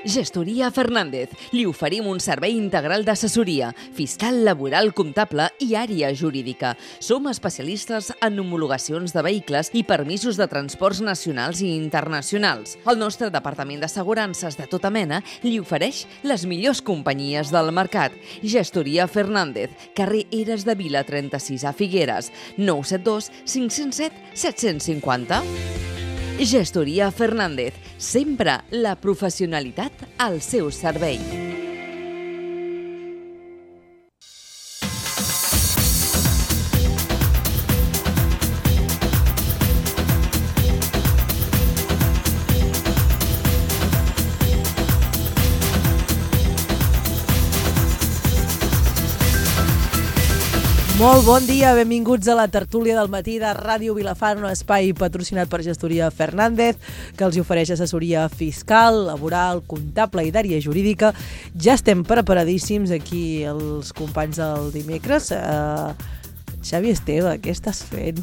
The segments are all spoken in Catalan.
Gestoria Fernández. Li oferim un servei integral d'assessoria, fiscal, laboral, comptable i àrea jurídica. Som especialistes en homologacions de vehicles i permisos de transports nacionals i internacionals. El nostre departament d'assegurances de tota mena li ofereix les millors companyies del mercat. Gestoria Fernández, carrer Eres de Vila 36 a Figueres, 972 507 750. Gestoria Fernández, sempre la professionalitat al seu servei. Molt bon dia, benvinguts a la tertúlia del matí de Ràdio Vilafant, un espai patrocinat per Gestoria Fernández, que els ofereix assessoria fiscal, laboral, comptable i d'àrea jurídica. Ja estem preparadíssims aquí els companys del dimecres. Xavi Esteve, què estàs fent?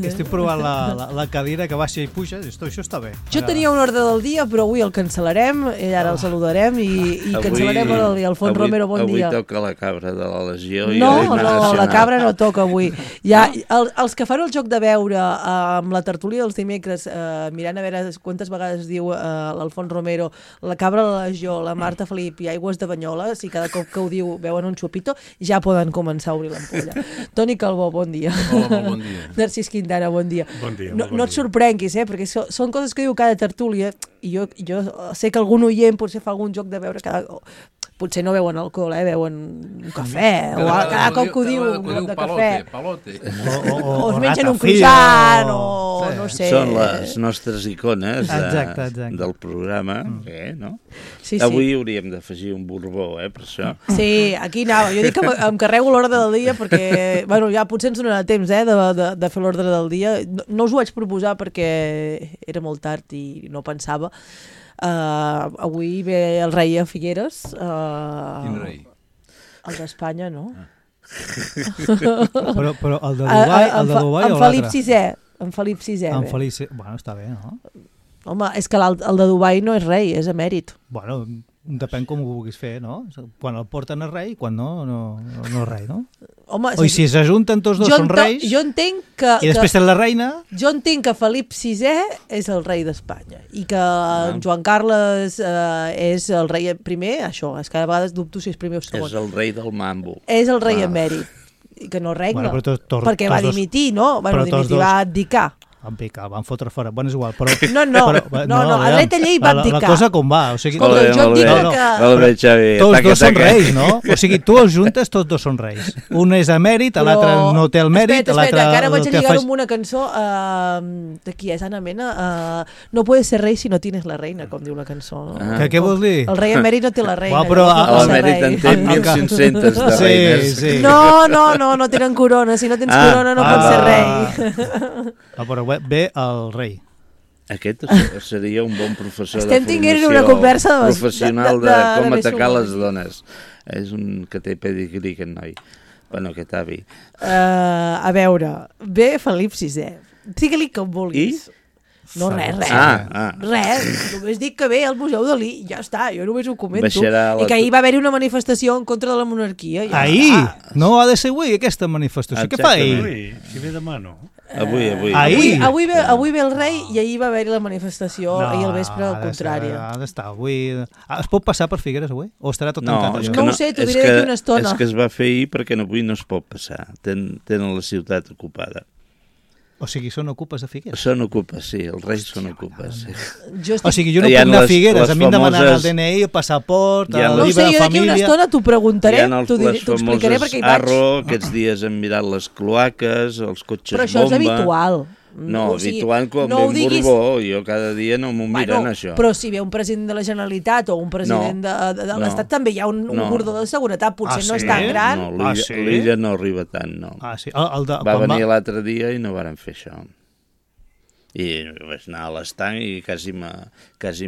Estic provant la cadira que baixa i puja. Això està bé. Jo tenia un ordre del dia, però avui el cancel·larem, i ara el saludarem i cancel·larem el Alfons Romero, bon dia. Avui toca la cabra de la Legió. No, la cabra no toca avui. Ja, els que fan el joc de veure amb la tertúlia dels dimecres, mirant a veure quantes vegades diu l'Alfons Romero, la cabra de la Legió, la Marta Felip i aigües de Banyoles, i cada cop que ho diu veuen un xupito, ja poden començar a obrir l'ampolla. Toni Calbó, bon dia. Hola, bon dia. Narcís Quintana, bon dia. Bon dia. No et sorprenguis, perquè són coses que diu cada tertúlia, i jo sé que algun oient potser fa algun joc de veure potser no veuen alcohol, veuen un cafè, o cada cop que ho diu un cop de cafè. Palote. O es mengen un croissant, o no sé. Són les nostres icones del programa, no? Sí. Avui hauríem d'afegir un borbó, per això. Sí, aquí anava. Jo dic que em carrego l'ordre del dia perquè, bueno, ja potser ens donarà temps de fer l'ordre del dia. No us ho vaig proposar perquè era molt tard i no pensava. Avui ve el rei a Figueres. Quin rei? El d'Espanya, no? Però el de Dubai o l'altre? En Felip VI. En Felip VI. Bueno, està bé, no? Home, és que el de Dubai no és rei, és emèrit. Bueno, depèn com ho vulguis fer, no? Quan el porten a rei, quan no és rei, no? Home, o si s'ajunten tots dos són reis, jo entenc que, i després tens la reina... Jo entenc que Felip VI és el rei d'Espanya i que Joan Carles és el rei primer, això, és que a vegades dubto si és primer o segon. És el rei del mambo. És el rei emèrit, i que no regna, perquè va dimitir, no? Bueno, dimitir, va abdicar. El van fotre fora, bueno, és igual, però... No, a l'Eta Llei va abdicar. La cosa com va, o sigui... Escolta, jo et dic que... Tots dos són reis, no? O sigui, tu els juntes, tots dos són reis. Un és emèrit, l'altre no té el mèrit, Espera, que ara vaig a lligar-ho amb una cançó de qui és Ana Mena. No puedes ser rei si no tienes la reina, com diu la cançó. Què vols dir? El rei emèrit no té la reina. L'emèrit en té 1.500 de reines. No tenen corona. Si no tens corona no pots ser rei. Però ve el rei. Aquest seria un bon professor de formació professional de com atacar les dones. És un que té pedigrí, aquest noi. Bueno, aquest avi. A veure, ve Felip VI. Digue-li com vulguis. No, res. Res, només dic que ve al Museu Dalí, ja està, jo només ho comento. I que ahir va haver-hi una manifestació en contra de la monarquia. Ahir? No ha de ser avui aquesta manifestació. Què fa ahir? Si ve demà, no? Avui ve el rei i ahir va haver-hi la manifestació, ahir al vespre al contrari. Ha d'estar avui... Es pot passar per Figueres avui? O estarà tot tancat allò? No ho sé, t'ho diré d'aquí una estona. És que es va fer ahir perquè avui no es pot passar. Tenen la ciutat ocupada. O sigui, són ocupes de Figueres? Són ocupes, sí, els reis són ocupes. Sí. O sigui, jo no puc anar a Figueres, a mi em demanen el DNI, el passaport, el llibre de família... No sé, jo d'aquí una estona t'ho preguntaré, t'ho explicaré perquè hi vaig. Arro, aquests dies hem mirat les cloaques, els cotxes bomba... Però això és habitual. No, habitual com no ben Borbó, jo cada dia no m'ho miren, això. Però si ve un president de la Generalitat o un president de l'Estat, també hi ha un cordó de seguretat, potser no és tan gran. No, l'illa no arriba tant, no. Sí. Va venir l'altre dia i no varen fer això. I vaig anar a l'estanc i quasi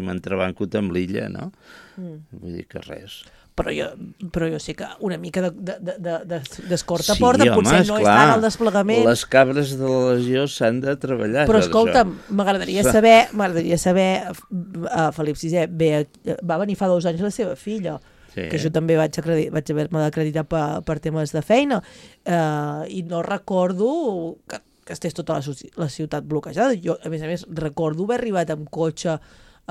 m'entrebancut amb l'illa, no? Vull dir que res. Però jo sé que una mica d'escorta Sí, porta, home, potser no és esclar. tant el desplegament. Les cabres de la legió s'han de treballar. Però per escolta'm, això. m'agradaria saber, Felip VI va venir fa 2 anys la seva filla, Sí. que jo també vaig haver-me d'acreditar per temes de feina, i no recordo que estés tota la ciutat bloquejada. Jo, a més, recordo haver arribat amb cotxe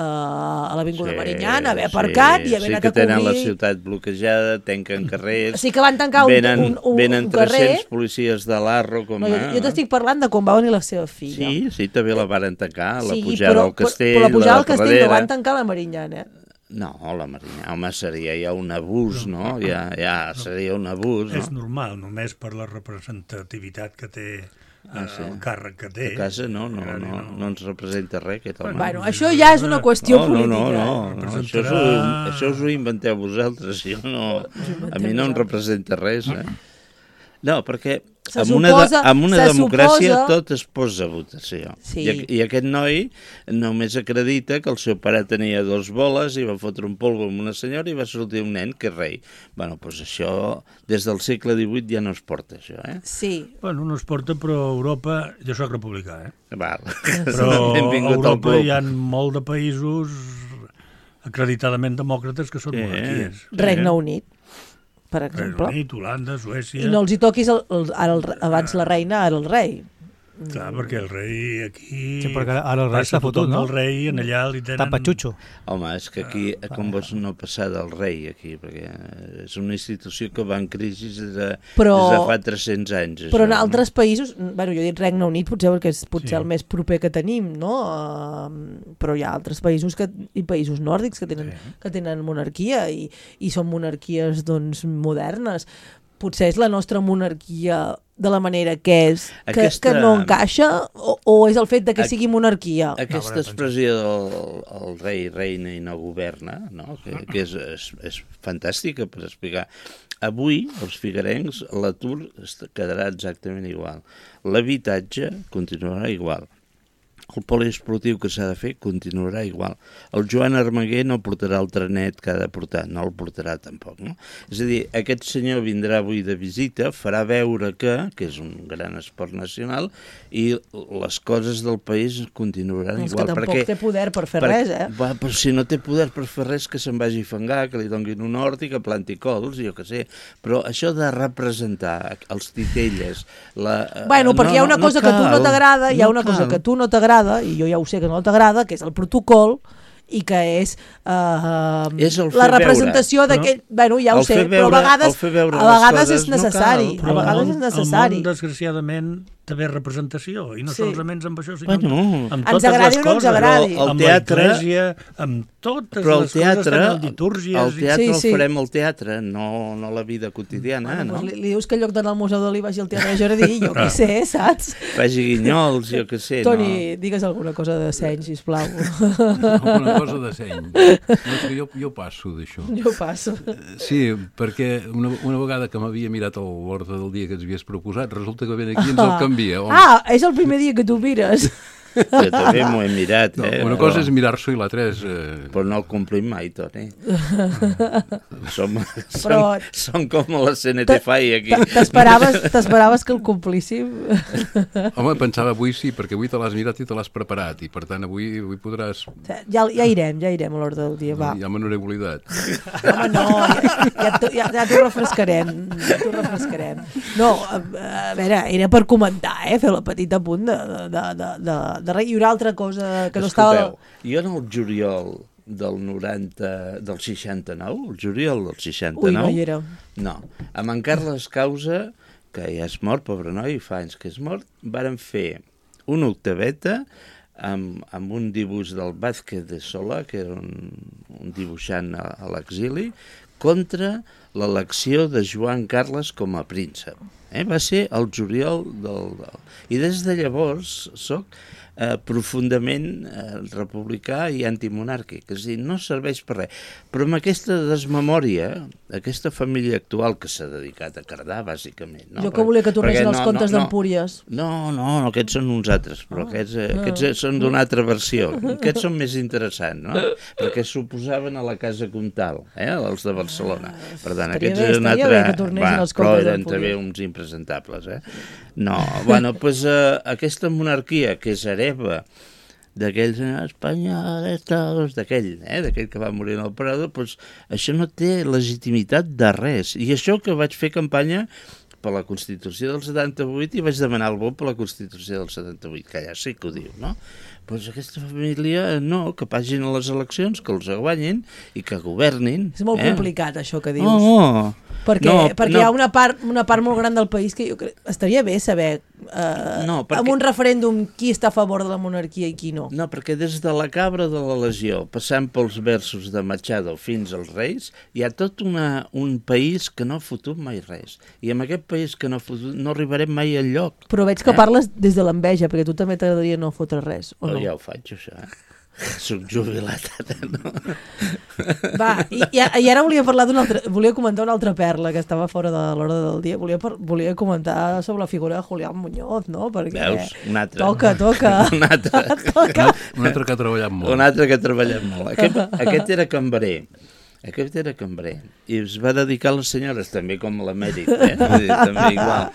a l'Avinguda Marinyana, haver aparcat i haver anat a Sí que tenen la cobrir. ciutat bloquejada, tanquen carrers... Sí que van tancar un venen carrer. 300 policies de l'Arro, com No, jo t'estic parlant de com va venir la seva filla. Sí, també la varen tancar, la Sí, pujada al castell, però la pujada al castell no darrere. van tancar la Marinyana. No, la Marinyana, home, seria ja un abús, no? Ja seria un abús, És no? normal, només per la representativitat que té, Sí. el càrrec que té. A casa no ens representa res, aquest home. Bueno, això ja és una qüestió política. No, això us ho inventeu vosaltres, jo no, a mi no em representa res, No, perquè en una democràcia tot es posa a votació. Sí. I aquest noi només acredita que el seu pare tenia 2 boles i va fotre un polvo amb una senyora i va sortir un nen que és rei. Bueno, doncs això, des del segle XVIII ja no es porta, això, Sí. Bueno, no es porta, però a Europa... Jo soc republicà, Val. Però a Benvingut al Europa club. hi ha molt de països acreditadament demòcrates que són monarquies. Regne Unit, per Regne exemple. Unit, Holanda, Suècia... I no els hi toquis abans la reina, ara el rei. Clar, perquè el rei aquí... Sí, perquè ara el rei passa s'ha fotut, tothom no? del rei, en allà li tenen... Tapatxutxo. Home, és que aquí, com vols no passar del rei, aquí, perquè és una institució que va en crisi des de fa 300 anys. Però en això, altres països, bueno, jo he dit Regne Unit potser perquè és Sí. el més proper que tenim, no? Però hi ha altres països i països nòrdics que tenen monarquia i són monarquies doncs modernes. Potser és la nostra monarquia de la manera que és, que no encaixa, o és el fet de que sigui monarquia? Aquesta expressió del rei reina i no governa, no? que és fantàstica per explicar. Avui, els figuerencs, l'atur quedarà exactament igual. L'habitatge continuarà igual. El poliesportiu que s'ha de fer continuarà igual. El Joan Armaguer no portarà el trenet que ha de portar, no el portarà tampoc. No? És a dir, aquest senyor vindrà avui de visita, farà veure que és un gran esport nacional, i les coses del país continuaran igual. És que tampoc té poder per fer res, Però si no té poder per fer res, que se'n vagi a fangar, que li donguin un hort i que planti cols, jo què sé. Però això de representar els titelles... Bueno, perquè hi ha una cosa que a tu no t'agrada, hi ha una cosa que a tu no t'agrada, i jo ja ho sé que no t'agrada, que és el protocol, i que és la representació d'aquell... Bueno, ja ho sé, però a vegades és necessari. A vegades és necessari. El món, desgraciadament, té bé representació, i no solament amb això, sinó amb ens totes agradi les o no ens coses. agradi. Amb la església, amb totes les coses, també litúrgies. El teatre el farem al teatre, no la vida quotidiana. Li dius que en lloc d'anar al Museu Dalí vagi al Teatre Jardí, jo què sé, saps? Faci guinyols, jo què sé. Toni, digues alguna cosa de seny, sisplau. Alguna cosa de seny. No, és que jo passo d'això. Jo passo. Sí, perquè una vegada que m'havia mirat l'ordre del dia que ens havies proposat, resulta que ven aquí ens el canvia. És el primer dia que tu mires. Jo també m'ho he mirat, Una cosa és mirar-s'ho i l'altra és... Però no el complim mai, Toni. Som com la CNT-FAI aquí. T'esperaves que el complíssim? Home, pensava avui sí, perquè avui te l'has mirat i te l'has preparat, i per tant avui podràs... Ja irem a l'ordre del dia, va. Ja me n'hauré oblidat. Home, no, ja t'ho refrescarem. No, a veure, era per comentar, fer la petita punt de res. I una altra cosa que no estava... Jo en el juliol del 69, el juliol del 69... Ui, no hi era. No, amb en Carles Causa, que ja és mort, pobre noi, fa anys que és mort, varen fer una octaveta amb un dibuix del Vázquez de Solà, que era un dibuixant a l'exili, contra l'elecció de Joan Carles com a príncep. Va ser el juliol I des de llavors soc profundament republicà i antimonàrquic, és a dir, no serveix per res. Però amb aquesta desmemòria, aquesta família actual que s'ha dedicat a cardar, bàsicament... No? Jo que volia que tornessin els contes d'Empúries. No, aquests són uns altres, però aquests són d'una altra versió. Aquests són més interessants, no? Perquè s'oposaven a la Casa Comtal, els de Barcelona. Per tant, aquests eren però eren també uns impresentables, No, bueno, doncs aquesta monarquia que és hereva d'aquells espanyols, d'aquell que va morir en el Prado, doncs això no té legitimitat de res. I això que vaig fer campanya per la Constitució del 78 i vaig demanar el vot per la Constitució del 78, que allà sí que ho diu, no? Doncs aquesta família, no, que pagin a les eleccions, que els guanyin i que governin. És molt complicat, això que dius. Perquè hi ha una part molt gran del país que jo crec estaria bé saber amb un referèndum qui està a favor de la monarquia i qui no. No, perquè des de la cabra de la Legió, passant pels versos de Machado fins als Reis, hi ha tot un país que no ha fotut mai res. I amb aquest país que no ha fotut no arribarem mai enlloc. Però veig que parles des de l'enveja, perquè tu també t'agradaria no fotre res, o no? Ja ho faig, això, Soc jubilat, no? Va, i ara volia comentar una altra perla que estava fora de l'hora del dia. Volia comentar sobre la figura de Julián Muñoz, no? Perquè veus? Un altre. Toca. Un altre. Un altre que ha treballat molt. Un altre que ha treballat molt. Aquest era cambrer. I es va dedicar a les senyores, també com l'emèrit, també igual.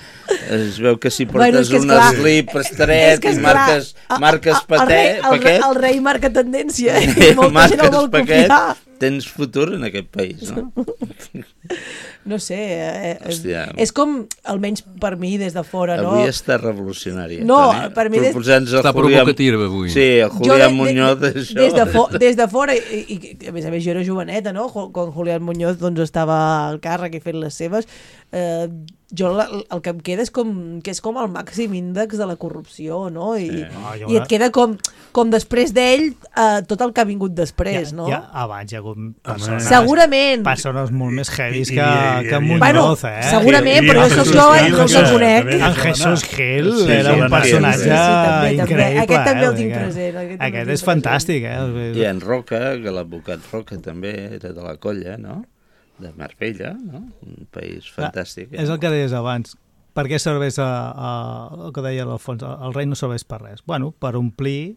Es veu que si portes un slip estret i marques paquet... El rei marca tendència, molta gent el vol copiar. Tens futur en aquest país, no? No sé, és com, almenys per mi des de fora, no? Avui està revolucionària. No, per mi... Està provocativa avui. Sí, el Julián Muñoz, això. Des de fora, i a més jo era joveneta, no? Quan Julián Muñoz estava al càrrec i fent les seves, jo el que em queda és que és com el màxim índex de la corrupció, no? I et queda com després d'ell tot el que ha vingut després, no? Abans hi ha hagut persones molt més heavies que Muñoz, segurament, però això jo no el conec. En Jesús Gil era un personatge increïble. Aquest també el tinc present. Aquest és fantàstic, I en Roca, que l'advocat Roca també era de la colla, no? De Marbella, no? Un país fantàstic. És el que deies abans. Per què serveix el que deia l'Alfons? El rei no serveix per res. Bueno, per omplir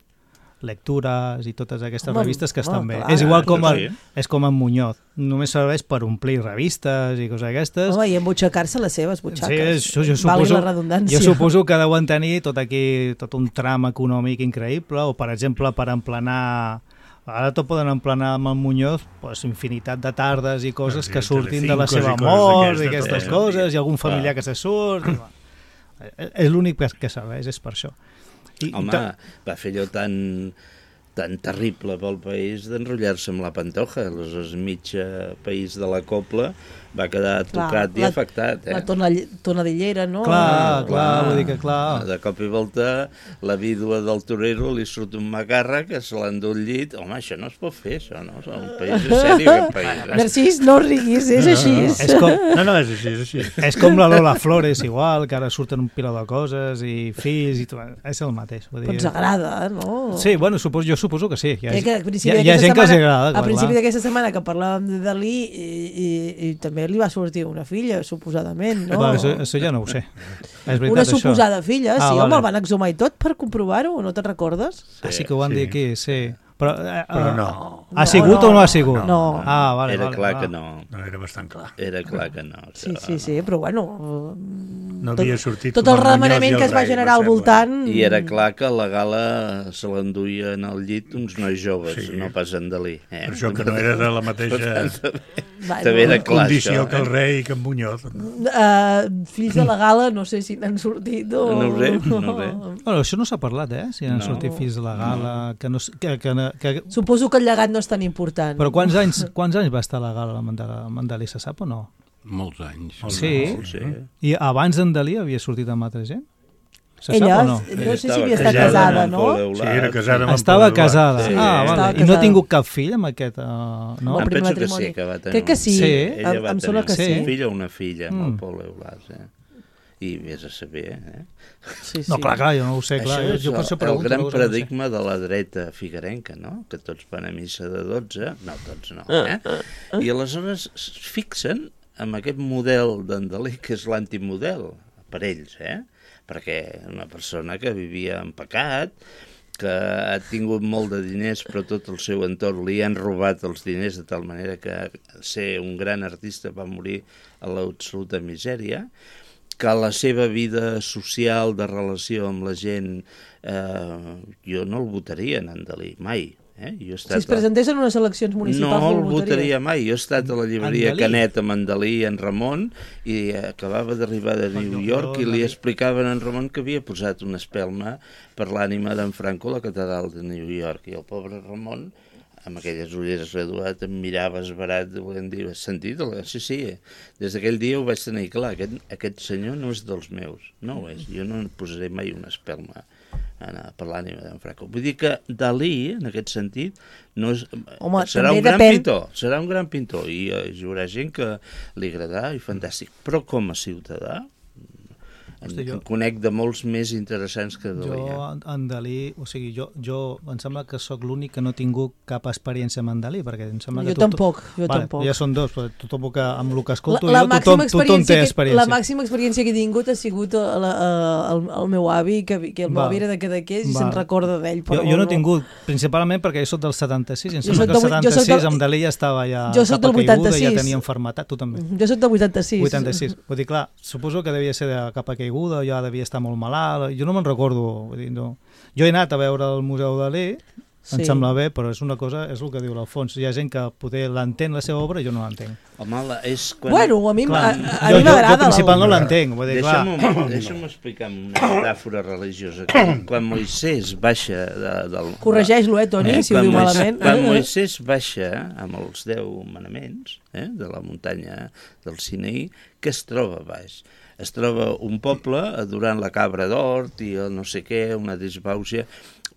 lectures i totes aquestes revistes que estan bé. És igual és com en Muñoz. Només serveix per omplir revistes i coses aquestes. Home, i embutxacar-se les seves butxaques. Sí, valgui la redundància. Jo suposo que deuen tenir tot un tram econòmic increïble, o per exemple per emplenar... Ara tot poden emplenar amb el Muñoz infinitat de tardes i coses que surtin de la seva mort i aquestes coses, i algun familiar que se surt. És l'únic que serveix, és per això. Home, va fer allò tan terrible pel país d'enrotllar-se amb la Pantoja. Aleshores, mig país de la copla va quedar tocat i afectat. La tonadillera, no? Clar, vull dir que clar. De cop i volta, la vídua del torero li surt un macarra que se l'endú al llit. Home, això no es pot fer, això, no? Un país és sèrio, aquest país. Narcís, no riguis, és així. No, és així. És com la Lola Flores, igual, que ara surten un piló de coses i fills i tot. És el mateix. Però ens agrada, no? Sí, bueno, jo suposo que sí. Hi ha gent que els agrada. A principi d'aquesta setmana que parlàvem de Dalí i també li va sortir una filla, suposadament, no? Això ja no ho sé. És veritat, una suposada filla, sí, home, vale. el van exhumar i tot per comprovar-ho, no te'n recordes? Sí que ho van dir aquí, sí. Però no. Ha sigut o no ha sigut? No. Vale, era clar que no. No, era bastant clar. Era clar que no. Sí, però bueno... No havia sortit tot el remenament que es va generar al voltant... I era clar que la gala se l'enduia en el llit uns nois joves, no pas en Dalí. Per això que no era de la mateixa també era clar, condició que el rei i que en Muñoz. Fills de la gala, no sé si n'han sortit o... No ho sé. Bueno, això no s'ha parlat, si n'han sortit fills de la gala, que... Suposo que el llegat no és tan important. Però quants anys va estar la gala amb en Dalí, se sap o no? Molts anys. Sí? I abans en Dalí havia sortit amb altra gent? Se ella, sap o no? No sé si havia estat casada, no? Sí, era casada amb Estava casada. Sí, vale. I no ha tingut cap fill amb aquest... No? Em penso que sí, que va tenir... Crec que sí. Ella va em sembla que sí. Un fill o una filla amb el Pol Eulàs, i vés a saber, Sí. No, clar, jo no ho sé, clar. Això és Jo per això el pregunto, gran no ho sé. paradigma de la dreta figuerenca, no? Que tots van a missa de 12, no, tots no, I aleshores es fixen en aquest model d'en Dalí, que és l'antimodel per ells, perquè una persona que vivia en pecat, que ha tingut molt de diners però tot el seu entorn li han robat els diners de tal manera que ser un gran artista va morir a l'absoluta misèria, que la seva vida social de relació amb la gent jo no el votaria en Dalí, mai. Jo he estat Si es presentés en unes eleccions municipals no el votaria. votaria mai. Jo he estat a la llibreria Dalí. Canet amb en Dalí i en Ramon i acabava d'arribar de New York i li explicaven a en Ramon que havia posat una espelma per l'ànima d'en Franco a la catedral de New York i el pobre Ramon amb aquelles ulleres reduades em mirava esverat volent dir, has sentit? Sí, des d'aquell dia ho vaig tenir clar, aquest senyor no és dels meus, no ho és, jo no posaré mai una espelma per l'ànima d'en Franco. Vull dir que Dalí, en aquest sentit, no és, Home, serà un també gran depèn. pintor, serà un gran pintor i hi haurà gent que li agradarà i fantàstic, però com a ciutadà en conec de molts més interessants que Dalí. Jo, en Dalí, o sigui, jo em sembla que sóc l'únic que no he tingut cap experiència amb en Dalí, perquè em sembla que Jo tampoc. Ja són dos, però tothom que, amb el que escolto tothom té experiència. La màxima experiència que he tingut ha sigut el meu avi, que el meu avi era de Cadaqués i se'n recorda d'ell. Jo no he tingut, principalment perquè jo soc del 76, i em sembla que el 76 amb Dalí ja estava ja cap a caiguda, ja tenia enfermetat, tu també. Jo soc del 86. 86, vull dir, clar, suposo que devia ser de cap a caiguda, ja devia estar molt malalt, jo no me'n recordo, vull dir, no. Jo he anat a veure el Museu Dalí, em sembla bé, però és una cosa, és el que diu l'Alfons, hi ha gent que poder l'entén la seva obra i jo no l'entenc. Home, és quan... Bueno, a mi m'agrada. Jo principal no l'entenc, vull dir, clar. Deixa'm explicar una metàfora religiosa. Quan Moisès baixa del... Corregeix-lo, Toni, si ho diu malament. Quan Moisès baixa amb els 10 manaments de la muntanya del Sinaí, què es troba baix? Es troba un poble adorant la cabra d'hort i el no sé què, una disbausia.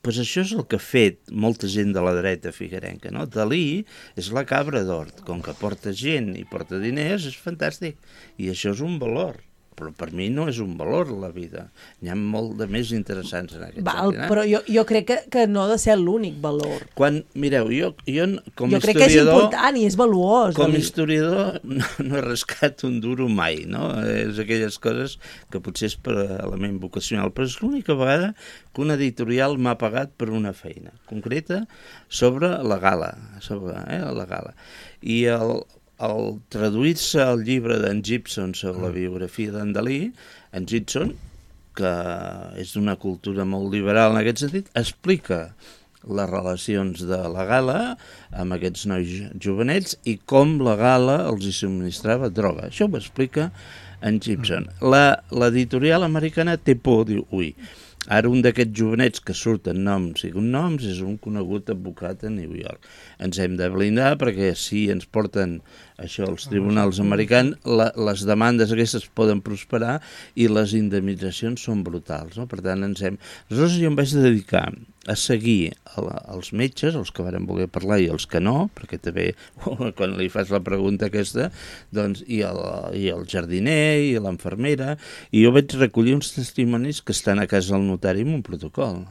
Pues això és el que ha fet molta gent de la dreta figuerenca, no? Dalí és la cabra d'hort, com que porta gent i porta diners, és fantàstic. I això és un valor, però per mi no és un valor la vida. N'hi ha molt de més interessants en aquest sentit. Però jo crec que no ha de ser l'únic valor. Mireu, jo com jo crec historiador... que és important i és valuós. Com a historiador no he rascat un duro mai, no? És aquelles coses que potser és per element vocacional, però és l'única vegada que un editorial m'ha pagat per una feina concreta sobre la gala, la gala. I al traduir-se el llibre d'en Gibson sobre la biografia d'en Dalí, en Gibson, que és d'una cultura molt liberal en aquest sentit, explica les relacions de la gala amb aquests nois jovenets i com la gala els hi subministrava droga. Això ho explica en Gibson. L'editorial americana té por, diu, ara un d'aquests jovenets que surten noms i cognoms és un conegut advocat a New York. Ens hem de blindar perquè si ens porten això als tribunals americans, les demandes aquestes poden prosperar i les indemnitzacions són brutals, no? Per tant, aleshores jo em vaig dedicar a seguir els metges, els que varen voler parlar i els que no, perquè també quan li fas la pregunta aquesta, doncs, i el jardiner i l'enfermera, i jo vaig recollir uns testimonis que estan a casa del notari amb un protocol,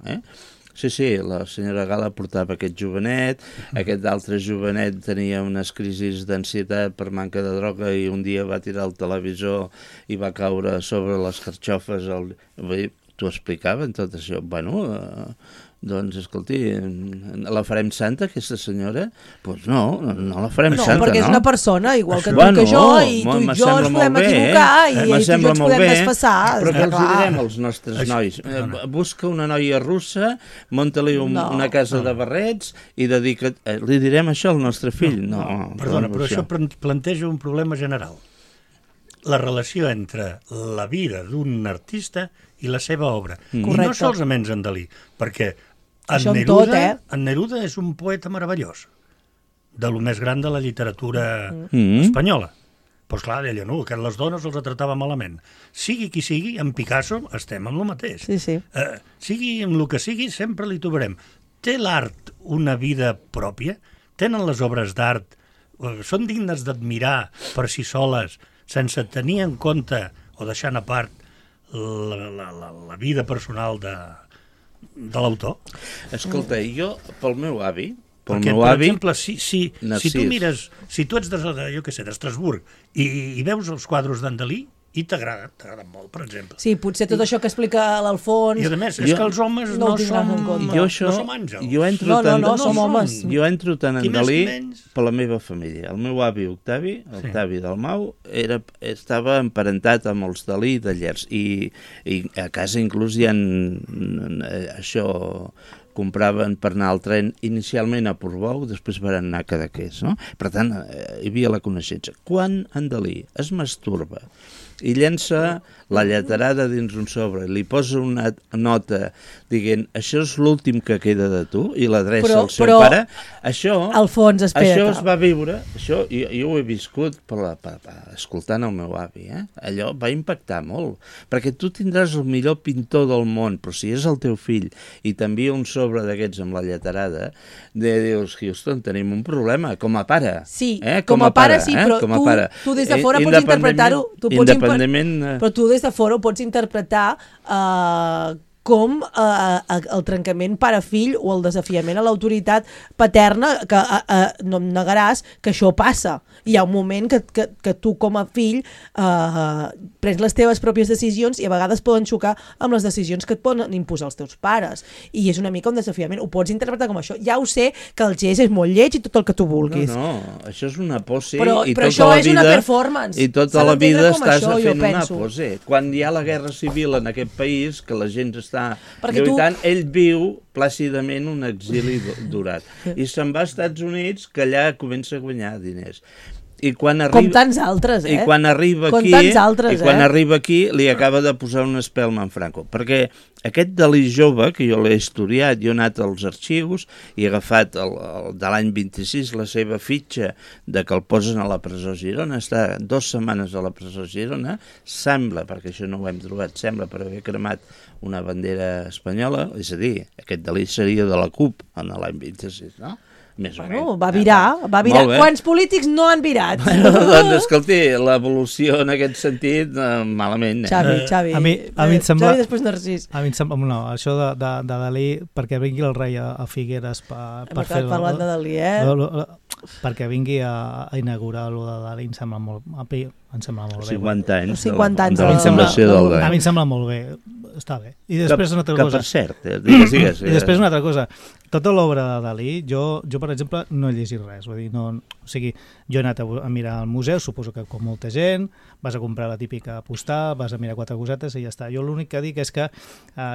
Sí, la senyora Gala portava aquest jovenet, aquest altre jovenet tenia unes crisis d'ansietat per manca de droga i un dia va tirar el televisor i va caure sobre les carxofes. T'ho explicaven tot això. Bueno, doncs, escolti, la farem santa, aquesta senyora? Doncs no la farem santa, no? No, perquè és una persona, igual que tu que jo, i tu i jo ens podem equivocar, i tu i jo ens podem desfassar. Però què els direm als nostres nois? Busca una noia russa, munta-li una casa de barrets i dedica't... Li direm això al nostre fill? No. Perdona, però això planteja un problema general. La relació entre la vida d'un artista i la seva obra. Correcte. I no solament en Dalí, perquè en Neruda és un poeta meravellós, de lo més gran de la literatura espanyola. Doncs clar, deia, no, que les dones els tratava malament. Sigui qui sigui, en Picasso estem amb el mateix. Sí. Sigui amb el que sigui, sempre li trobarem. Té l'art una vida pròpia? Tenen les obres d'art? Són dignes d'admirar per si soles, sense tenir en compte o deixant a part la vida personal de l'autor. Escolta, jo, pel meu avi, perquè, per exemple, si tu mires, si tu ets d'Estrasburg i veus els quadres d'en Dalí, i t'agraden molt, per exemple. Sí, potser tot això que explica l'Alfons... I a més, és que els homes no som àngels. No, som homes. Jo entro tant en Dalí per la meva família. El meu avi Octavi Dalmau, estava emparentat amb els Dalí de Llers. I a casa inclús hi ha això... compraven per anar al tren inicialment a Portbou, després van anar a Cadaqués, no? Per tant, hi havia la coneixença. Quan en Dalí es masturba i llença la lleterada dins un sobre, li posa una nota dient, això és l'últim que queda de tu, i l'adreça al seu pare, això, Alfons, això es va viure, això jo ho he viscut escoltant el meu avi, allò va impactar molt, perquè tu tindràs el millor pintor del món, però si és el teu fill i t'envia un sobre d'aquests amb la lleterada, dius, Houston, tenim un problema, com a pare. Sí, com a pare sí, però tu des de fora pots interpretar-ho, però tu des de fora ho pots interpretar com el trencament pare-fill o el desafiament a l'autoritat paterna, que no em negaràs que això passa. Hi ha un moment que tu com a fill prens les teves pròpies decisions i a vegades poden xocar amb les decisions que et poden imposar els teus pares. I és una mica un desafiament. Ho pots interpretar com això. Ja ho sé que el gest és molt lleig i tot el que tu vulguis. No, això és una pose. Però això és una performance. I tota la vida estàs fent una pose. Quan hi ha la guerra civil en aquest país, que la gent està lluitant, ell viu plàcidament un exili durat. I se'n va als Estats Units, que allà comença a guanyar diners. I quan arriba, com tants altres, I quan arriba aquí, li acaba de posar una espelma en Franco. Perquè aquest Dalí jove, que jo l'he estudiat, jo he anat als arxius i he agafat de l'any 26 la seva fitxa de que el posen a la presó Girona, està 2 setmanes a la presó Girona, sembla, perquè això no ho hem trobat, sembla per haver cremat una bandera espanyola, és a dir, aquest Dalí seria de la CUP en l'any 26, no? Bueno, va virar. Quants polítics no han virat? Doncs, escolti, l'evolució en aquest sentit, malament. Xavi. A mi em sembla... Xavi, després Narcís. A mi em sembla... No, això de Dalí, perquè vingui el rei a Figueres per fer... Parlant de Dalí, perquè vingui a inaugurar allò de Dalí, em sembla molt bé. 50 anys. 50 anys. A mi em sembla molt bé. Està bé. I després una altra cosa. Que per cert, digues. I després una altra cosa. Tota l'obra de Dalí, jo per exemple, no he llegit res. Vull dir, o sigui, jo he anat a mirar al museu, suposo que com molta gent, vas a comprar la típica postal, vas a mirar 4 cosetes i ja està. Jo l'únic que dic és que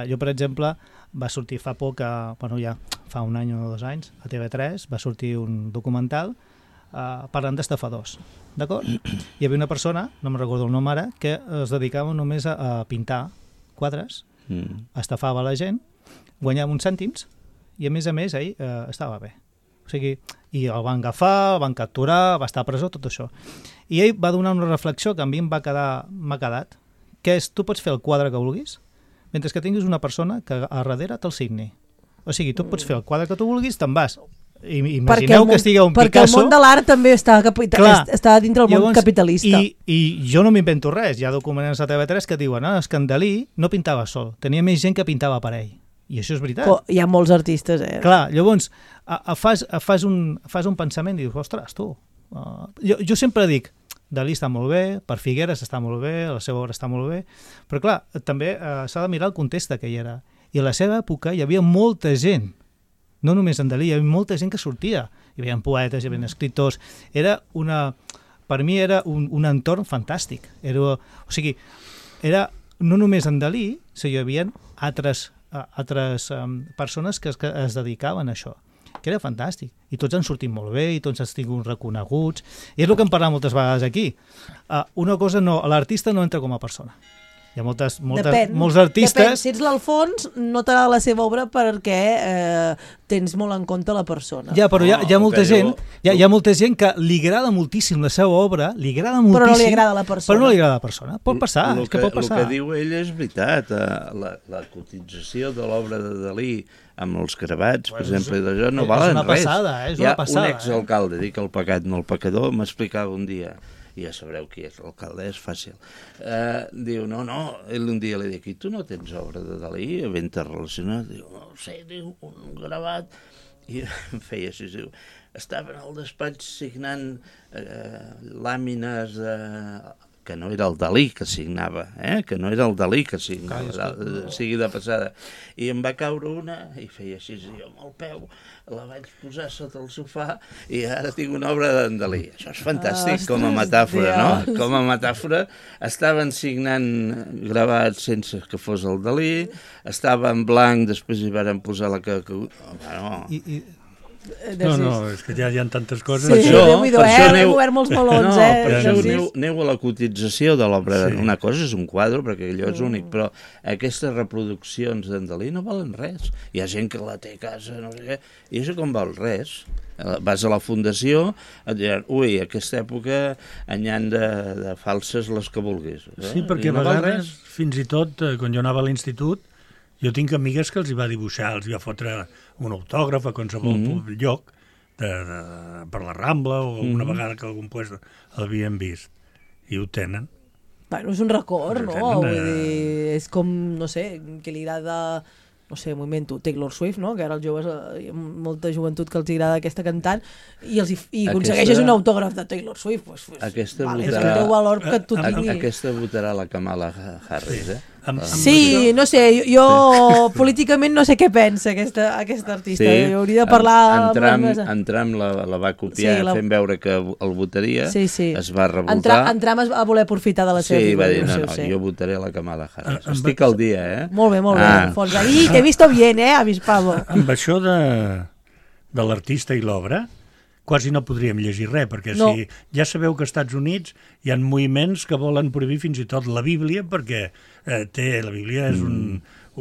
jo, per exemple, va sortir fa poc, ja fa un any o 2 anys, a TV3, va sortir un documental parlant d'estafadors, d'acord? Hi havia una persona, no me'n recordo el nom ara, que es dedicava només a pintar quadres, estafava la gent, guanyava uns cèntims i a més ell estava bé. O sigui, i el van agafar, el van capturar, va estar a presó, tot això. I ell va donar una reflexió que a mi m'ha quedat, que és, tu pots fer el quadre que vulguis, mentre que tinguis una persona que a darrere te'l signi. O sigui, tu pots fer el quadre que tu vulguis, te'n vas. Imagineu que estigui un Picasso... Perquè el món de l'art també està dintre del món capitalista. I jo no m'invento res. Hi ha documents a TV3 que diuen que en Dalí no pintava sol, tenia més gent que pintava per ell. I això és veritat. Però hi ha molts artistes, Clar, llavors fas un pensament i dius, ostres, tu... Jo sempre dic, Dalí està molt bé, per Figueres està molt bé, la seva obra està molt bé, però clar, també s'ha de mirar el context que hi era. I a la seva època hi havia molta gent, no només en Dalí, hi havia molta gent que sortia. Hi havia poetes, hi havia escriptors. Per mi era un entorn fantàstic. O sigui, era no només en Dalí, sinó hi havia altres persones que es dedicaven a això, que era fantàstic. I tots han sortit molt bé, i tots han tingut reconeguts. I és el que hem parlat moltes vegades aquí. Una cosa, l'artista no entra com a persona. Hi ha molts artistes... Depèn. Si ets l'Alfons, no t'agrada la seva obra perquè tens molt en compte la persona. Ja, però hi ha molta gent hi ha molta gent que li agrada moltíssim la seva obra, li agrada moltíssim... Però no li agrada la persona. Però no li agrada la persona. Pot passar, és que pot passar. El que diu ell és veritat. La cotització de l'obra de Dalí amb els gravats, per exemple, d'allò no valen res. És una passada, és una passada. Hi ha un exalcalde, dic el pecat, no el pecador, m'explicava un dia ja sabreu qui és l'alcalde, és fàcil. Diu, no, un dia li dic, i tu no tens obra de Dalí ben relacionada? Diu, no sé, diu, un gravat, i em feia així, diu, estaven al despatx signant làmines que no era el Dalí que signava, que no era el Dalí que signava, sigui de passada. I em va caure una i feia així, jo amb el peu la vaig posar sota el sofà i ara tinc una obra d'en Dalí. Això és fantàstic com a metàfora, no? Com a metàfora estaven signant gravats sense que fos el Dalí, estava en blanc, després hi varen posar la que... No, és que ja hi ha tantes coses. Sí, Déu-n'hi-do, hem obert molts melons, Per això aneu a la cotització de l'obra. Una cosa és un quadre, perquè allò és únic, però aquestes reproduccions d'en Dalí no valen res. Hi ha gent que la té a casa, no sé què, i això com val res. Vas a la fundació, et diran, ui, a aquesta època n'hi ha de falses les que vulguis. Sí, perquè a vegades, fins i tot, quan jo anava a l'institut, jo tinc amigues que els hi va dibuixar, els hi va fotre un autògraf a qualsevol lloc per la Rambla o una vegada que algun lloc l'havien vist. I ho tenen. Bueno, és un record, no? Vull dir, és com, no sé, que li agrada... no sé, m'ho invento, Taylor Swift, no? Que ara els joves, hi ha molta joventut que els agrada aquesta cantant i aconsegueixes un autògraf de Taylor Swift. Aquesta és el teu valor que tu tinguis. Aquesta votarà la Kamala Harris, Sí, no sé, jo políticament no sé què pensa aquesta artista. Hauria de parlar... En Trump la va copiar fent veure que el votaria, es va revoltar. En Trump es va voler aprofitar de la seva figura. Sí, va dir, jo votaré la Kamala Harris. Estic al dia, Molt bé, Fons. Ahí, t'he visto bien, avispado. Amb això de l'artista i l'obra, quasi no podríem llegir res, perquè si ja sabeu que als Estats Units hi ha moviments que volen prohibir fins i tot la Bíblia, perquè la Bíblia és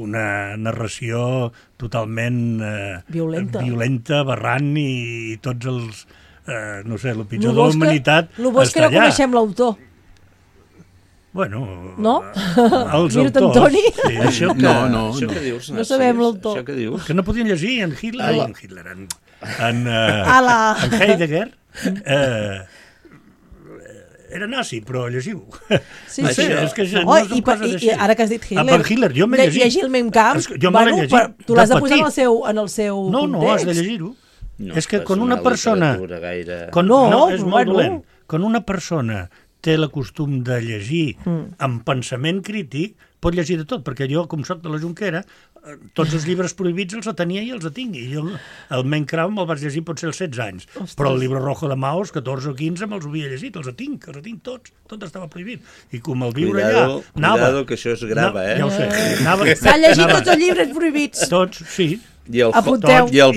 una narració totalment violenta, aberrant, i tots els, no sé, el pitjor de la humanitat està allà. El bo és que no coneixem l'autor. Bueno, no? Els autors. Antoni? Sí. Això que dius, no sabem l'autor. Que no podien llegir en Hitler, en Heidegger. Era nazi, però llegiu. Sí. És que no són coses així. I ara que has dit Hitler, jo m'he llegit. Llegir el Mein Kampf, tu l'has de posar en el seu context. No, has de llegir-ho. És que quan una persona... No, és molt dolent. Quan una persona té el costum de llegir amb pensament crític, pot llegir de tot, perquè jo, com soc de la Jonquera, tots els llibres prohibits els tenia i els tinc. I jo el Mein Kampf me'l vaig llegir potser als 16 anys, però el Libro Rojo de Mao, als 14 o 15, me'ls havia llegit, els tinc tots, tot estava prohibit. I com el viure allà... Cuidado, que això es grava, Ja ho sé. S'han llegit tots els llibres prohibits. Tots, sí. I el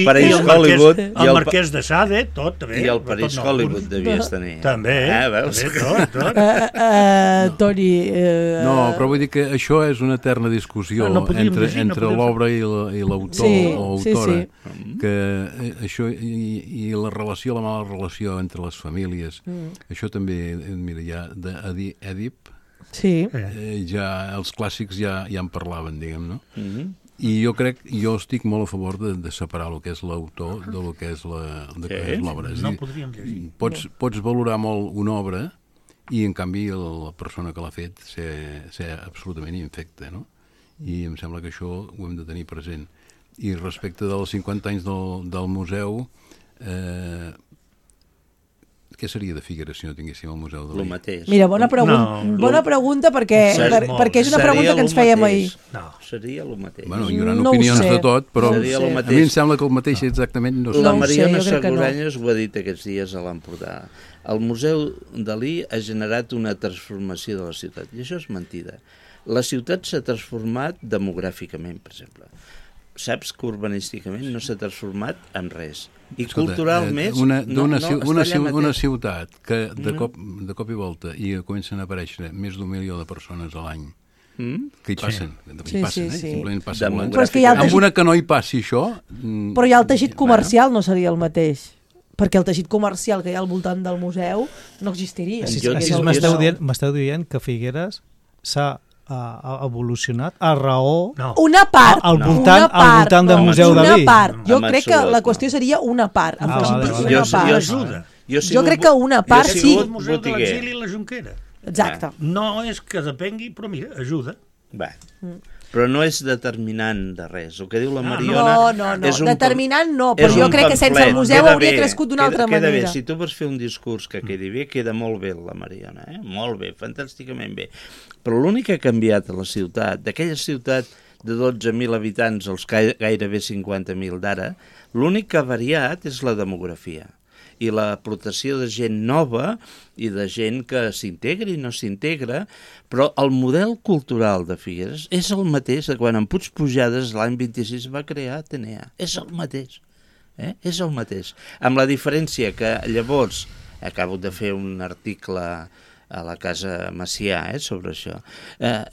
París Hollywood... El Marquès de Sade, tot, també. I el París Hollywood devies tenir. També, veus? Tot. Toni... No, però vull dir que això és una eterna discussió entre l'obra i l'autor o autora. Que això i la relació, la mala relació entre les famílies, això també, mira, ja d'Èdip, ja els clàssics ja en parlaven, diguem, no? I jo estic molt a favor de separar el que és l'autor de lo que és l'obra. No podríem llegir. Pots valorar molt una obra i, en canvi, la persona que l'ha fet ser absolutament infecta, no? I em sembla que això ho hem de tenir present. I respecte dels 50 anys del museu, què seria de Figueres si no tinguéssim el Museu Dalí? El mateix. Mira, bona pregunta perquè és una pregunta que ens fèiem ahir. No, seria el mateix. Bueno, hi haurà opinions de tot, però a mi em sembla que el mateix exactament no sé. La Mariona Seguranyes ho ha dit aquests dies a l'Empordà. El Museu Dalí ha generat una transformació de la ciutat, i això és mentida. La ciutat s'ha transformat demogràficament, per exemple. Saps que urbanísticament no s'ha transformat en res. I culturalment... Una ciutat que de cop i volta i comencen a aparèixer més d'1 milió de persones a l'any, que hi passen, simplement passen amb una que no hi passi això... Però ja el teixit comercial no seria el mateix, perquè el teixit comercial que hi ha al voltant del museu no existiria. M'esteu dient que Figueres s'ha evolucionat a raó una part al voltant del Museu Dalí. Una part. Jo crec que la qüestió seria una part. I Jo crec que una part sí. El Museu de l'Exili i la Jonquera. Exacte. No és que depengui, però mira, ajuda. Va. Però no és determinant de res. El que diu la Mariona... No. Determinant no, però jo crec que sense el museu hauria crescut d'una altra manera. Queda bé. Si tu vols fer un discurs que quedi bé, queda molt bé la Mariona, molt bé, fantàsticament bé. Però l'únic que ha canviat a la ciutat, d'aquella ciutat de 12.000 habitants als gairebé 50.000 d'ara, l'únic que ha variat és la demografia i l'aportació de gent nova i de gent que s'integra i no s'integra, però el model cultural de Figueres és el mateix de quan en Puig Pujades l'any 26 va crear Atenea. És el mateix. És el mateix. Amb la diferència que llavors, acabo de fer un article a la Casa Macià sobre això,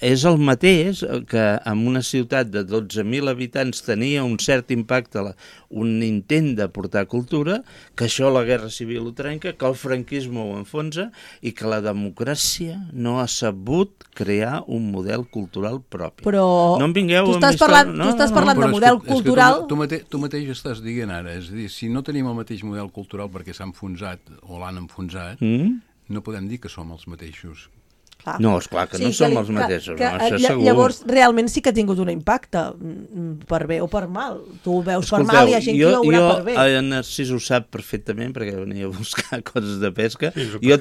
és el mateix que en una ciutat de 12.000 habitants tenia un cert impacte, un intent de portar cultura, que això la Guerra Civil ho trenca, que el franquisme ho enfonsa i que la democràcia no ha sabut crear un model cultural propi. Però no em vingueu tu estàs parlant de model cultural... Tu mateix estàs dient ara, és a dir, si no tenim el mateix model cultural perquè s'ha enfonsat o l'han enfonsat, no podem dir que som els mateixos. Clar. No, esclar que no som els mateixos, això segur. Llavors, realment sí que ha tingut un impacte, per bé o per mal. Tu ho veus per mal i hi ha gent que ho veurà per bé. El Narcís ho sap perfectament, perquè venia a buscar coses de pesca. Jo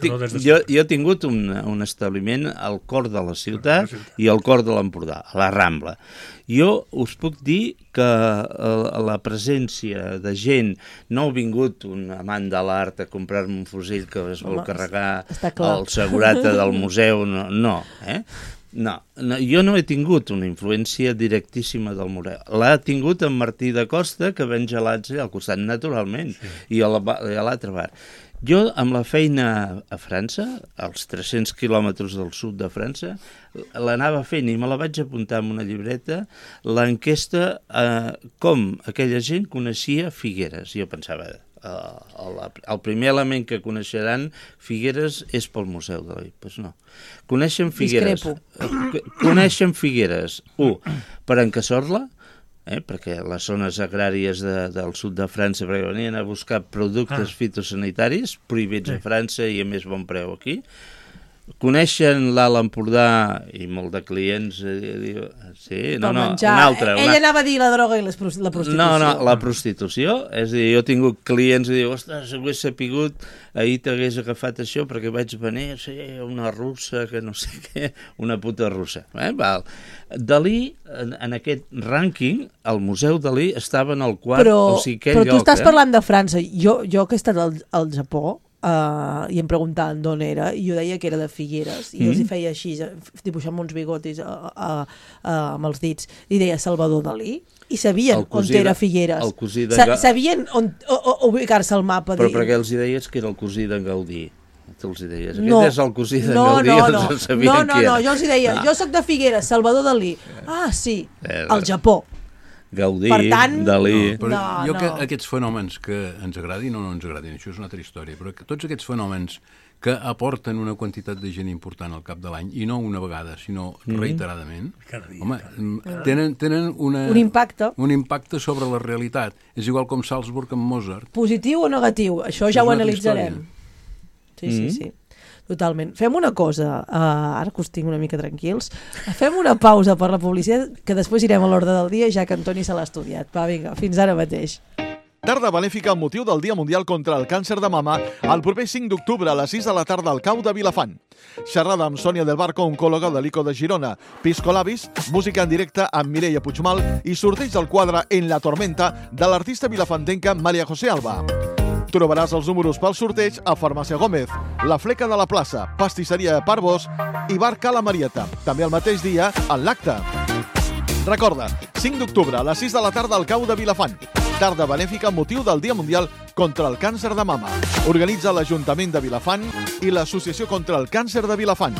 he tingut un establiment al cor de la ciutat i al cor de l'Empordà, a la Rambla. Jo us puc dir que la presència de gent, no ha vingut un amant de l'art a comprar-me un fusell que es vol carregar el segurata del museu, no. No, jo no he tingut una influència directíssima del museu. L'ha tingut en Martí de Costa, que ven gelats al costat, naturalment, i a l'altre bar. Jo, amb la feina a França, als 300 quilòmetres del sud de França, l'anava fent i me la vaig apuntar en una llibreta, l'enquesta com aquella gent coneixia Figueres. Jo pensava, el primer element que coneixeran Figueres és pel Museu de l'I. Doncs no. Coneixen Figueres. Coneixen Figueres, per Encasorla, perquè les zones agràries del sud de França, perquè venien a buscar productes fitosanitaris prohibits a França i a més bon preu aquí. Coneixen l'Alt Empordà i molt de clients una altra. Ella anava a dir la droga i la prostitució. No, la prostitució. És a dir, jo he tingut clients i diu, ostres, si ho hagués sapigut, ahir t'hagués agafat això perquè vaig venir una russa, que no sé què, una puta russa. Dalí, en aquest rànquing, el Museu Dalí estava en el quart o cinquè lloc. Però tu estàs parlant de França. Jo que he estat al Japó, i em preguntaven d'on era, i jo deia que era de Figueres, i els hi feia així, dibuixant uns bigotis amb els dits, i deia Salvador Dalí, i sabien on era Figueres. Sabien on ubicar-se al mapa. Però perquè els hi deies que era el cosí d'en Gaudí. Te'ls hi deies, aquest és el cosí d'en Gaudí, els sabien qui era. Jo els hi deia, jo soc de Figueres, Salvador Dalí. Ah, sí, al Japó. Gaudí, Dalí... Jo que aquests fenòmens que ens agradin o no ens agradin, això és una altra història, però que tots aquests fenòmens que aporten una quantitat de gent important al cap de l'any, i no una vegada, sinó reiteradament, home, tenen un impacte sobre la realitat. És igual com Salzburg amb Mozart. Positiu o negatiu? Això ja ho analitzarem. Sí. Totalment. Fem una cosa, ara que us tinc una mica tranquils, fem una pausa per la publicitat, que després irem a l'ordre del dia, ja que Antoni se l'ha estudiat. Va, vinga, fins ara mateix. Tarda benèfica amb motiu del Dia Mundial contra el Càncer de Mama el proper 5 d'octubre a les 6 de la tarda al Cau de Vilafant. Xerrada amb Sònia del Barco, oncòloga de l'ICO de Girona, Piscolabis, música en directe amb Mireia Puigmal i sorteig del quadre En la tormenta de l'artista vilafantenca Maria José Alba. Trobaràs els números pel sorteig a Farmàcia Gómez, La Fleca de la Plaça, Pastisseria Parvos i Bar Cala Marieta. També el mateix dia en l'acte. Recorda, 5 d'octubre a les 6 de la tarda al Cau de Vilafant. Tarda benèfica amb motiu del Dia Mundial contra el Càncer de Mama. Organitza l'Ajuntament de Vilafant i l'Associació contra el Càncer de Vilafant.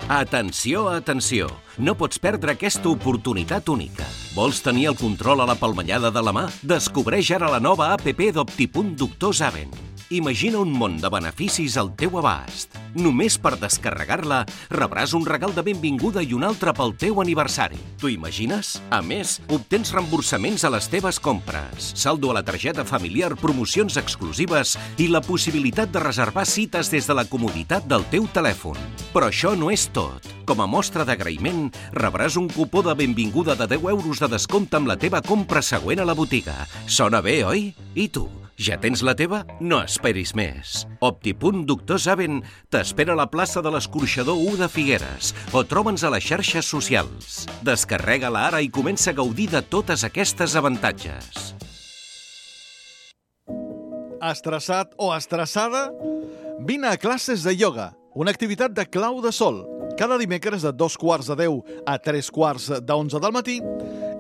Atenció, atenció! No pots perdre aquesta oportunitat única. Vols tenir el control a la palmellada de la mà? Descobreix ara la nova APP d'Optipunt Doctor Zaven. Imagina un món de beneficis al teu abast. Només per descarregar-la rebràs un regal de benvinguda i un altre pel teu aniversari. T'ho imagines? A més, obtens reemborsaments a les teves compres, saldo a la targeta familiar, promocions exclusives i la possibilitat de reservar cites des de la comoditat del teu telèfon. Però això no és tot. Com a mostra d'agraïment, rebràs un cupó de benvinguda de 10 euros de descompte amb la teva compra següent a la botiga. Sona bé, oi? I tu? Ja tens la teva? No esperis més. Optipunt Doctor Saben t'espera a la plaça de l'Escorxador 1 de Figueres o troba'ns a les xarxes socials. Descarrega-la ara i comença a gaudir de totes aquestes avantatges. Estressat o estressada? Vine a classes de ioga, una activitat de clau de sol. Cada dimecres de 2:15 a 3:45 del matí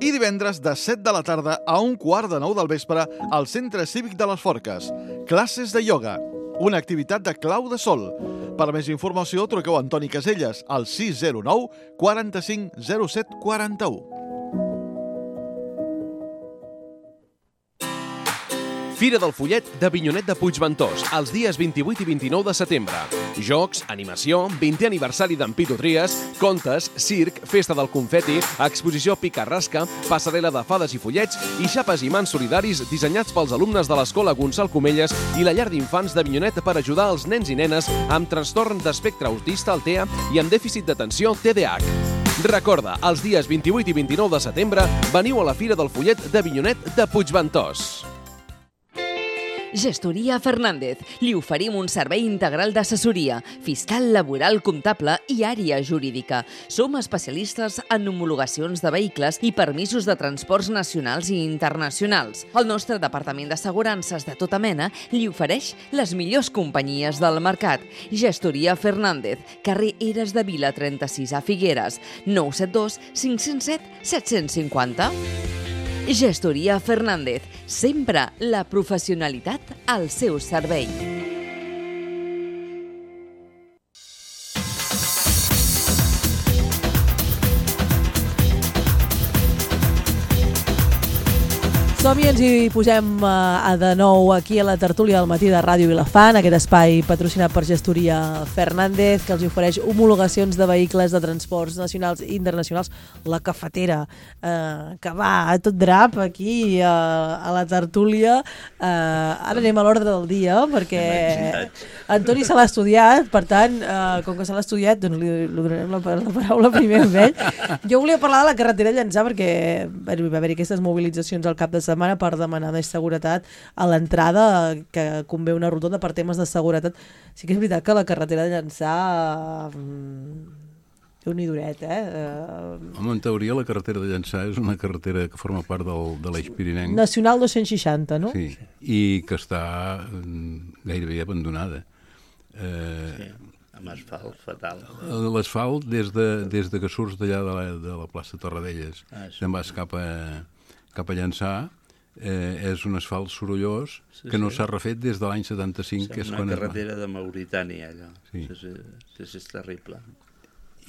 i divendres de 7 de la tarda a 1:15 del vespre al Centre Cívic de les Forques. Classes de ioga, una activitat de clau de sol. Per més informació, truqueu a Antoni Caselles al 609 45 07 41. Fira del Follet d'Avinyonet de Puigventós, els dies 28 i 29 de setembre. Jocs, animació, 20è aniversari d'en Pitu Tries, contes, circ, festa del confeti, exposició pica-rasca, passarel·la de fades i follets i xapes i mans solidaris dissenyats pels alumnes de l'Escola Gonçal Comelles i la llar d'infants d'Avinyonet per ajudar els nens i nenes amb trastorn d'espectre autista, el TEA, i amb dèficit d'atenció, TDAH. Recorda, els dies 28 i 29 de setembre veniu a la Fira del Follet d'Avinyonet de Puigventós. Gestoria Fernández. Li oferim un servei integral d'assessoria, fiscal, laboral, comptable i àrea jurídica. Som especialistes en homologacions de vehicles i permisos de transports nacionals i internacionals. El nostre departament d'assegurances de tota mena li ofereix les millors companyies del mercat. Gestoria Fernández, carrer Eres de Vila 36 a Figueres, 972 507 750. Gestoria Fernández, sempre la professionalitat al seu servei. Som-hi, ens hi posem de nou aquí a la tertúlia del matí de Ràdio Vilafant, aquest espai patrocinat per Gestoria Fernández, que els ofereix homologacions de vehicles de transports nacionals i internacionals. La cafetera, que va a tot drap aquí a la tertúlia. Ara anem a l'ordre del dia, perquè Antoni se l'ha estudiat, per tant, com que se l'ha estudiat, doncs li donarem la paraula primer amb ell. Jo volia parlar de la carretera Llançà, perquè va haver-hi aquestes mobilitzacions al cap de setmana per demanar més seguretat a l'entrada, que convé una rotonda per temes de seguretat. Sí que és veritat que la carretera de Llançà té un idoret, Home, en teoria la carretera de Llançà és una carretera que forma part de l'Eix Pirinenc. Nacional 260, no? Sí, i que està gairebé abandonada. Sí, amb asfalt fatal. L'asfalt, des de que surts d'allà de la plaça Torradelles, te'n vas cap a Llançà, és un asfalt sorollós que no s'ha refet des de l'any 75. És una carretera de Mauritània, allò. Sí, és terrible.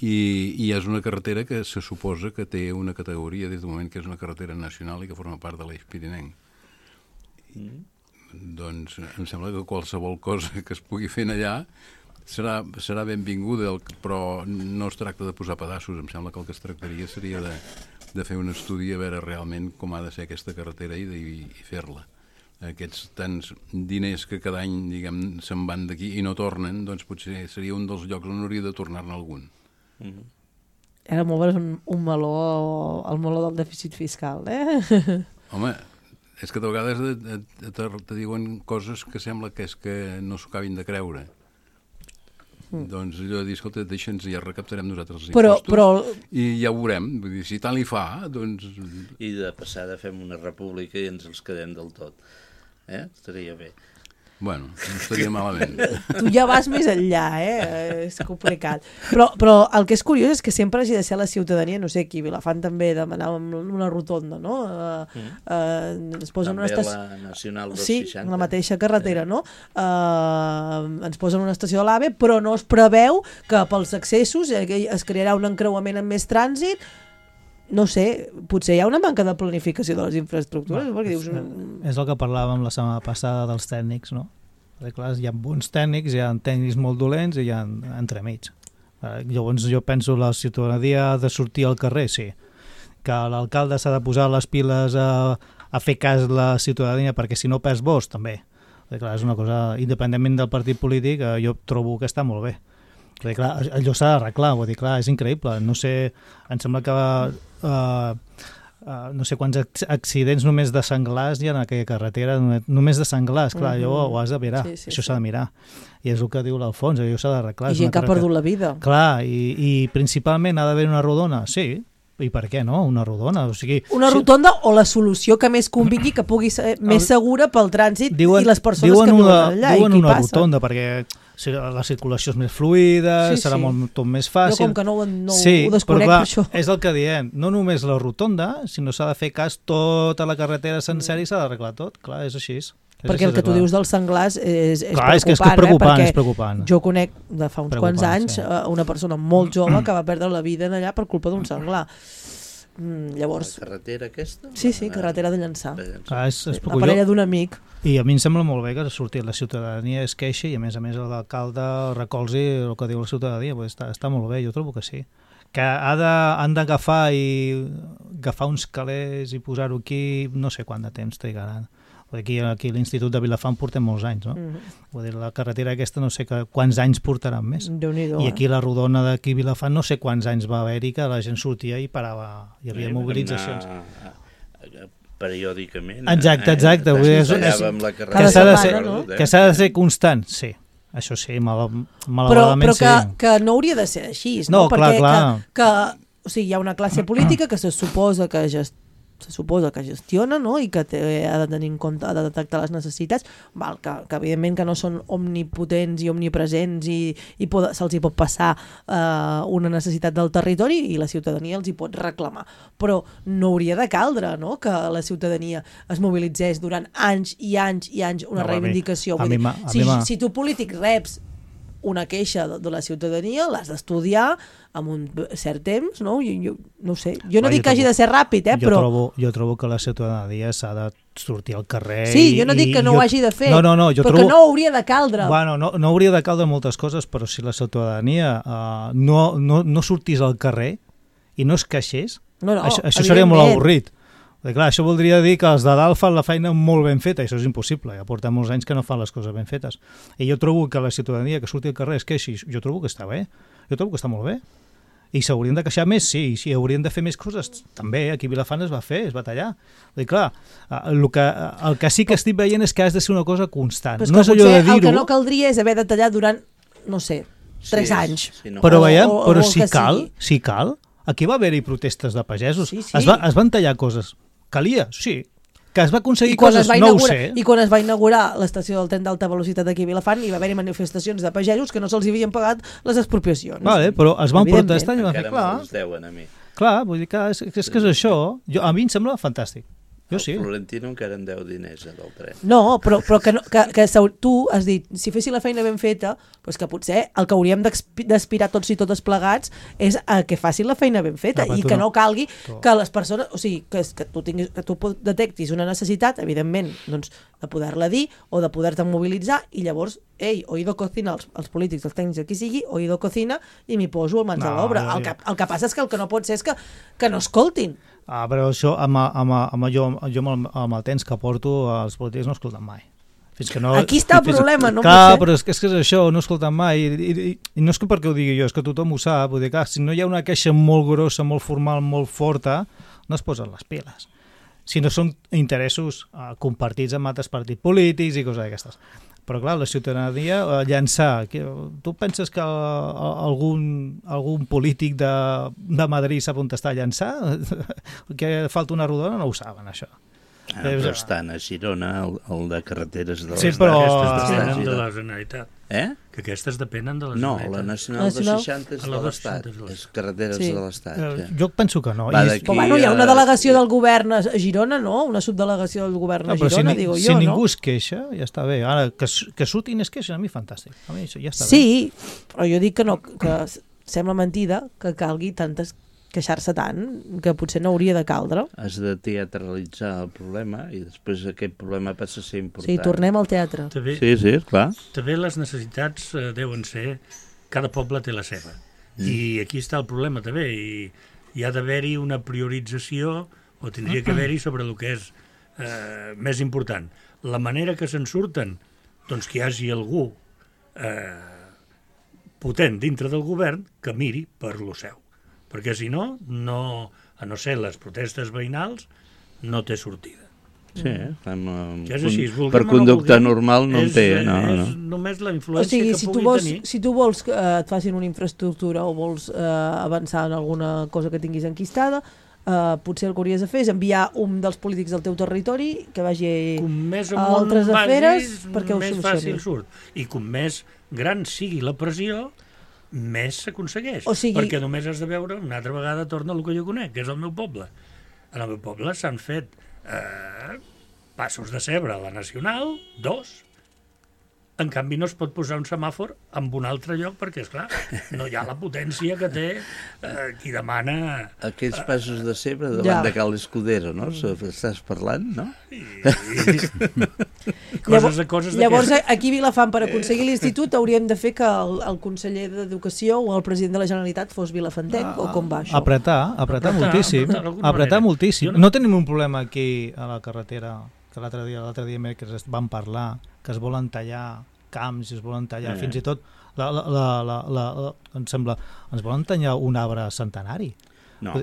I és una carretera que se suposa que té una categoria des del moment que és una carretera nacional i que forma part de l'Eix Pirinenc. Doncs em sembla que qualsevol cosa que es pugui fer allà serà benvinguda, però no es tracta de posar pedaços. Em sembla que el que es tractaria seria de fer un estudi a veure realment com ha de ser aquesta carretera i fer-la. Aquests tants diners que cada any, diguem, se'n van d'aquí i no tornen, doncs potser seria un dels llocs on hauria de tornar-ne algun. Era molt bé un meló, el meló del dèficit fiscal, Home, és que de vegades te diuen coses que sembla que és que no s'ho acabin de creure. Doncs allò de dir, escolta, deixa'ns i ja recaptarem nosaltres els impostos i ja ho veurem. Vull dir, si tant li fa, doncs... I de passada fem una república i ens els quedem del tot. Estaria bé. Bueno, no estaria malament. Tu ja vas més enllà, és complicat. Però el que és curiós és que sempre hagi de ser la ciutadania, no sé, aquí a Vilafant també demanàvem una rotonda, no? Ens posen també la Nacional 260. Sí, la mateixa carretera, no? Ens posen una estació de l'AVE, però no es preveu que pels accessos es crearà un encreuament amb més trànsit. No sé, potser hi ha una manca de planificació de les infraestructures. És el que parlàvem la setmana passada dels tècnics, no? Clar, hi ha bons tècnics, hi ha tècnics molt dolents i hi ha entremig. Llavors jo penso la ciutadania ha de sortir al carrer, sí. Que l'alcalde s'ha de posar les piles a fer cas la ciutadania, perquè si no perds vots, també. Clar, és una cosa, independentment del partit polític, jo trobo que està molt bé. Clar, allò s'ha d'arreglar, vull dir, clar, és increïble. No sé, em sembla que no sé quants accidents només de senglars hi ha en aquella carretera, només de senglars, clar, allò ho has de mirar, això s'ha de mirar. I és el que diu l'Alfons, allò s'ha d'arreglar. I gent que ha perdut la vida. Clar, i principalment ha d'haver una rodona, sí, i per què no? Una rodona. O sigui, una rotonda o la solució que més convingui, que pugui ser més segura pel trànsit i les persones que viuen allà. Diuen una rotonda, perquè la circulació és més fluida, serà tot més fàcil. Jo com que no ho desconec per això. És el que diem, no només la rotonda, sinó s'ha de fer cas tota la carretera sencera i s'ha d'arreglar tot. Clar, és així. Perquè el que tu dius dels senglars és preocupant, és preocupant. Jo conec de fa uns quants anys una persona molt jove que va perdre la vida allà per culpa d'un senglar. Llavors... La carretera aquesta? Sí, carretera de Llançà. La parella d'un amic. I a mi em sembla molt bé que sortir la ciutadania es queixi i a més l'alcalde recolzi el que diu la ciutadania. Està molt bé, jo trobo que sí. Que han d'agafar uns calés i posar-ho aquí, no sé quant de temps trigaran. Aquí a l'Institut de Vilafant portem molts anys, no? Vull dir, la carretera aquesta no sé quants anys portaran més. I aquí la rodona d'aquí a Vilafant no sé quants anys va haver-hi que la gent sortia i parava, hi havia mobilitzacions. Periòdicament. Exacte. Que s'ha de ser constant, sí. Això sí, malauradament sí. Però que no hauria de ser així, no? Perquè hi ha una classe política que se suposa que gestiona, no? I que ha de tenir en compte, ha de detectar les necessitats, que evidentment que no són omnipotents i omnipresents i se'ls hi pot passar una necessitat del territori i la ciutadania els hi pot reclamar. Però no hauria de caldre, no?, que la ciutadania es mobilitzés durant anys i anys i anys una reivindicació. Si tu polític reps una queixa de la ciutadania, l'has d'estudiar amb un cert temps, no? Jo no sé. Jo no dic que hagi de ser ràpid, però... Jo trobo que la ciutadania s'ha de sortir al carrer... Sí, jo no dic que no ho hagi de fer, però que no hauria de caldre. Bueno, no hauria de caldre moltes coses, però si la ciutadania no sortís al carrer i no es queixés, això seria molt avorrit. Clar, això voldria dir que els de dalt fan la feina molt ben feta, i això és impossible, ja portem molts anys que no fan les coses ben fetes. I jo trobo que la ciutadania que surti al carrer es queixi, jo trobo que està bé, jo trobo que està molt bé. I s'haurien de queixar més, sí, i haurien de fer més coses, també, aquí a Vilafant es va fer, es va tallar. Vull dir, clar, el que sí que estic veient és que has de ser una cosa constant. No és allò de dir-ho... El que no caldria és haver de tallar durant, no sé, 3 anys. Però veiem, però si cal, aquí va haver-hi protestes de pagesos, es van tallar coses. Calia, sí. Que es va aconseguir coses, no ho sé. I quan es va inaugurar l'estació del tren d'alta velocitat aquí a Vilafant, hi va haver-hi manifestacions de pagesos que no se'ls havien pagat les expropiacions. Vale, però es van protestar i van fer, clar. Encara me'ls deuen a mi. Clar, vull dir que és això. A mi em sembla fantàstic. Jo sí. El Florentino encara en deu diners del tren. No, però que tu has dit, si fessi la feina ben feta, doncs que potser el que hauríem d'aspirar tots i totes plegats és a que facin la feina ben feta i que no calgui que les persones, o sigui, que tu detectis una necessitat, evidentment, doncs, de poder-la dir o de poder-te mobilitzar i llavors, oído cocina, els polítics, els tècnics, qui sigui, oído cocina i m'hi poso al mans de l'obra. El que passa és que el que no pot ser és que no escoltin. Però això, jo amb el temps que porto, els polítics no escolten mai. Aquí està el problema, no pot ser. Però és que és això, no escolten mai. I no és que perquè ho digui jo, és que tothom ho sap. Vull dir, clar, si no hi ha una queixa molt grossa, molt formal, molt forta, no es posen les piles. Si no són interessos compartits amb altres partits polítics i coses d'aquestes. Però clar, la ciutadania llançar... Tu penses que algun polític de Madrid sap on està a llançar? Que falta una rodona? No ho saben, això. Però estan a Girona, el de carreteres de l'Estat. Sí, però aquestes depenen de la Generalitat. Que aquestes depenen de la Generalitat. No, la Nacional de 60 és de l'Estat. És carreteres de l'Estat. Jo penso que no. Però hi ha una delegació del govern a Girona, no? Una subdelegació del govern a Girona, digo jo, no? Si ningú es queixa, ja està bé. Ara, que surtin es queixen, a mi fantàstic. A mi això ja està bé. Sí, però jo dic que no, que sembla mentida que calgui tantes queixar-se tant, que potser no hauria de caldre. Has de teatralitzar el problema i després aquest problema passa a ser important. Sí, tornem al teatre. Sí, clar. També les necessitats deuen ser... Cada poble té la seva. I aquí està el problema també, i hi ha d'haver-hi una priorització, o tindria que haver-hi sobre el que és més important. La manera que se'n surten, doncs que hi hagi algú potent dintre del govern que miri per lo seu. Perquè si no, a no ser les protestes veïnals, no té sortida. Sí, per conducta normal no en té. És només la influència que pugui tenir. Si tu vols que et facin una infraestructura o vols avançar en alguna cosa que tinguis enquistada, potser el que hauries de fer és enviar un dels polítics del teu territori que vagi a altres aferes perquè ho solucioni. Més fàcil surt. I com més gran sigui la pressió, més s'aconsegueix. Perquè només has de veure, una altra vegada torna el que jo conec, que és el meu poble. En el meu poble s'han fet passos de cebre a la Nacional, 2. En canvi no es pot posar un semàfor en un altre lloc perquè, esclar, no hi ha la potència que té qui demana... Aquells passos de cebre davant de Cal Escudero, no? Estàs parlant, no? Llavors, aquí a Vilafant, per aconseguir l'institut, hauríem de fer que el conseller d'Educació o el president de la Generalitat fos vilafantenc, o com va això? Apretar moltíssim. Apretar moltíssim. No tenim un problema aquí a la carretera, que l'altre dia que vam parlar, que es volen tallar camps, es volen tallar fins i tot em sembla, ens volen tallar un arbre centenari. No,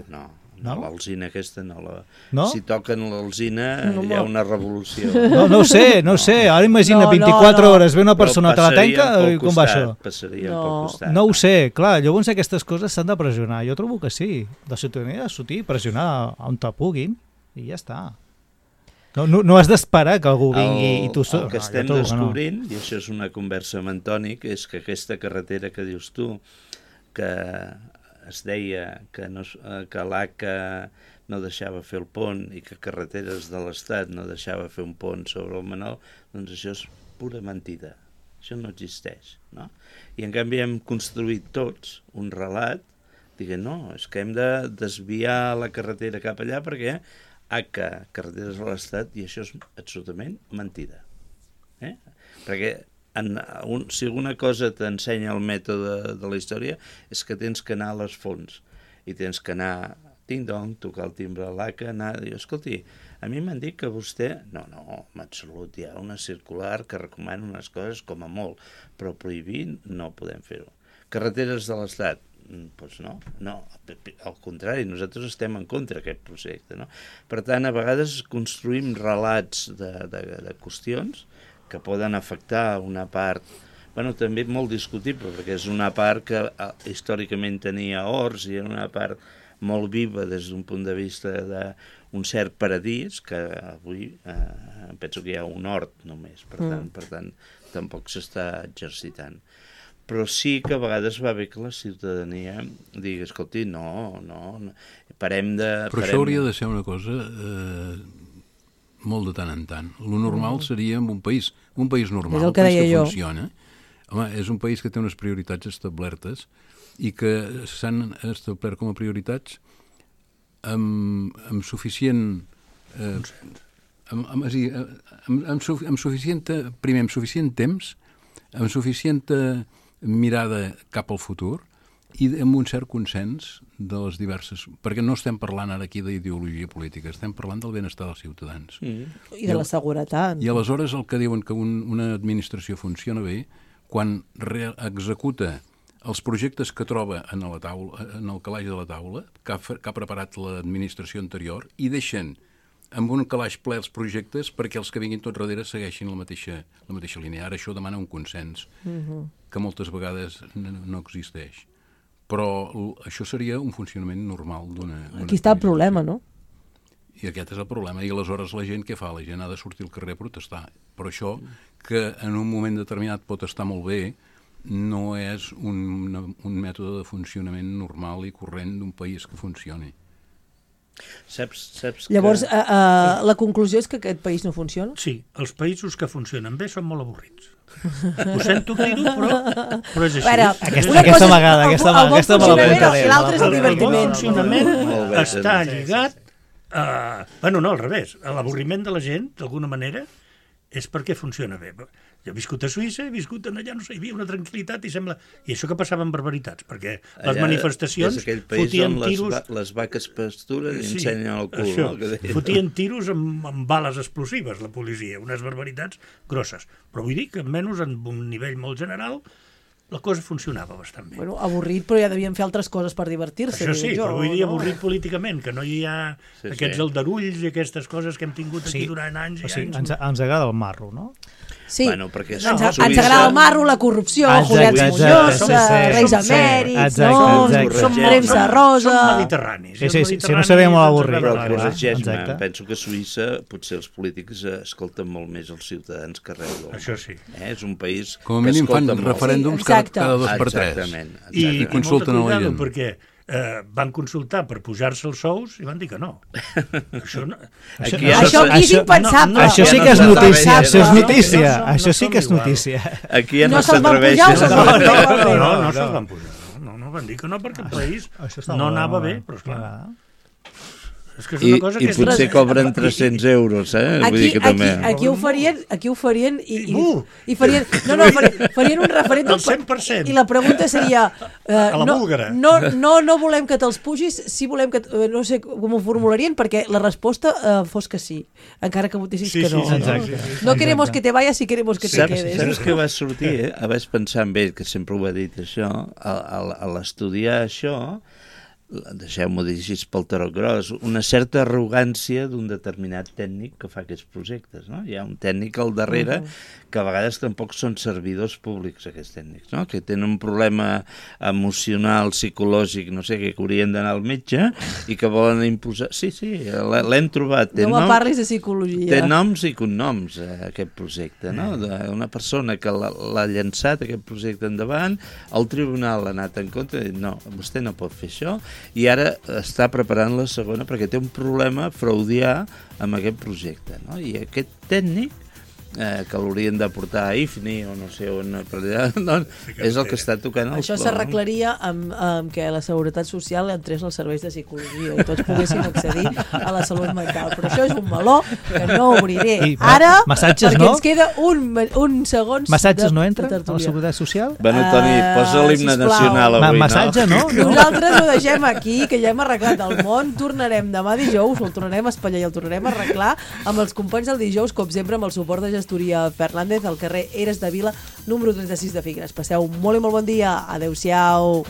l'alzina aquesta no? Si toquen l'alzina hi ha una revolució. No ho sé, ara imagina 24 hores ve una persona que la tanca i com va això? Passaria pel costat. No ho sé, clar, llavors aquestes coses s'han de pressionar, jo trobo que sí, la ciutadania ha de sortir, pressionar on te puguin i ja està. No has d'esperar que algú vingui i tu... El que estem descobrint, i això és una conversa amb Antònic, és que aquesta carretera que dius tu, que es deia que l'ACA no deixava fer el pont i que Carreteres de l'Estat no deixava fer un pont sobre el Manol, doncs això és pura mentida. Això no existeix, no? I en canvi hem construït tots un relat dient, no, és que hem de desviar la carretera cap allà perquè ACA, Carreteres de l'Estat, i això és absolutament mentida. Perquè si alguna cosa t'ensenya el mètode de la història és que tens que anar a les fonts i tens que anar, ting-dong, tocar el timbre a l'ACA, anar i dir, escolti, a mi m'han dit que vostè... No, en absolut, hi ha una circular que recomana unes coses com a molt, però prohibir no podem fer-ho. Carreteres de l'Estat, doncs no, al contrari, nosaltres estem en contra d'aquest projecte, no? Per tant, a vegades construïm relats de qüestions que poden afectar una part, també molt discutible, perquè és una part que històricament tenia horts i era una part molt viva des d'un punt de vista d'un cert paradís, que avui penso que hi ha un hort només, per tant tampoc s'està exercitant. Però sí que a vegades va bé que la ciutadania digui, escolti, no, parem de... Però això hauria de ser una cosa molt de tant en tant. Lo normal seria un país normal, un país que funciona. Home, és un país que té unes prioritats establertes i que s'han establert com a prioritats amb suficient... amb suficient temps, amb suficient mirada cap al futur i amb un cert consens de les diverses... Perquè no estem parlant ara aquí d'ideologia política, estem parlant del benestar dels ciutadans. I de la seguretat. I aleshores el que diuen que una administració funciona bé quan executa els projectes que troba en el calaix de la taula, que ha preparat l'administració anterior, i deixen amb un calaix ple els projectes perquè els que vinguin tot darrere segueixin la mateixa línia. Ara això demana un consens que moltes vegades no existeix. Però això seria un funcionament normal d'una... Aquí està el problema, no? I aquest és el problema. I aleshores la gent què fa? La gent ha de sortir al carrer a protestar. Però això, que en un moment determinat pot estar molt bé, no és un mètode de funcionament normal i corrent d'un país que funcioni. Saps Llavors, la conclusió és que aquest país no funciona? Sí, els països que funcionen bé són molt avorrits. Ho sento dir-ho, però és així. Aquesta vegada me l'apuntaré. L'altre és el divertiment. El funcionament està lligat al revés. L'avorriment de la gent, d'alguna manera, és perquè funciona bé. Jo he viscut a Suïssa, he viscut allà, no sé, hi havia una tranquil·litat i sembla... I això que passava amb barbaritats, perquè les manifestacions fotien tiros... Les vaques pasturen i ensenyen el cul. Això, fotien tiros amb bales explosives, la policia, unes barbaritats grosses. Però vull dir que almenys en un nivell molt general la cosa funcionava bastant bé. Bueno, avorrit, però ja devien fer altres coses per divertir-se. Això sí, però vull dir avorrit políticament, que no hi ha aquests aldarulls i aquestes coses que hem tingut aquí durant anys i anys. Ens agrada el marro, no? Sí, ens agrada el marro, la corrupció, Julián Muñoz, Reis Emèrits, premsa rosa... Som mediterranis. Si no sabem molt avorrit. Però corregeix-me, penso que a Suïssa potser els polítics escolten molt més els ciutadans que arreu del món. Això sí. És un país com a mínim fan referèndums cada 2 per 3. I consulten a la gent. Perquè van consultar per pujar-se els sous i van dir que no. Això aquí és impensable. Això sí que és notícia. Això sí que és notícia. Aquí ja no s'atreveixen. No se'ls van pujar. No van dir que no perquè el país no anava bé, però esclar... I potser cobren 300 euros, vull dir que també... Aquí ho farien i farien un referèndum... El 100%. I la pregunta seria... A la búlgara. No volem que te'ls pugis, sí volem que... No sé com ho formularien, perquè la resposta fos que sí, encara que votessis que no. No queremos que te vayas, si queremos que te quedes. Saps què va sortir? Vaig pensar en ell, que sempre ho ha dit això, a l'estudiar això... deixeu-m'ho dir així pel tarot gros, una certa arrogància d'un determinat tècnic que fa aquests projectes, no? Hi ha un tècnic al darrere que a vegades tampoc són servidors públics, aquests tècnics, no? Que tenen un problema emocional, psicològic, no sé, que haurien d'anar al metge i que volen imposar... Sí, l'hem trobat. No me parlis de psicologia. Té noms i cognoms, aquest projecte, no? Una persona que l'ha llançat, aquest projecte endavant, el tribunal ha anat en contra i dit, no, vostè no pot fer això, i ara està preparant la segona perquè té un problema fraudià amb aquest projecte, no? I aquest tècnic que l'haurien de portar a IFNI o no sé on, per allà, és el que està tocant els Això s'arreglaria amb que la Seguretat Social entrés als serveis de psicologia i tots poguessin accedir a la salut mental. Però això és un meló que no obriré ara, perquè ens queda un segons... Massatges no entren a la Seguretat Social? Bueno, Toni, posa l'himne nacional avui, no? Massatge, no? Nosaltres ho deixem aquí, que ja hem arreglat el món. Tornarem demà dijous, el tornarem a espatllar i el tornarem a arreglar amb els companys del dijous, com sempre, amb el suport de Gestoria Fernández, al carrer Eres de Vila, número 36 de Figueres. Passeu molt i molt bon dia. Adéu-siau.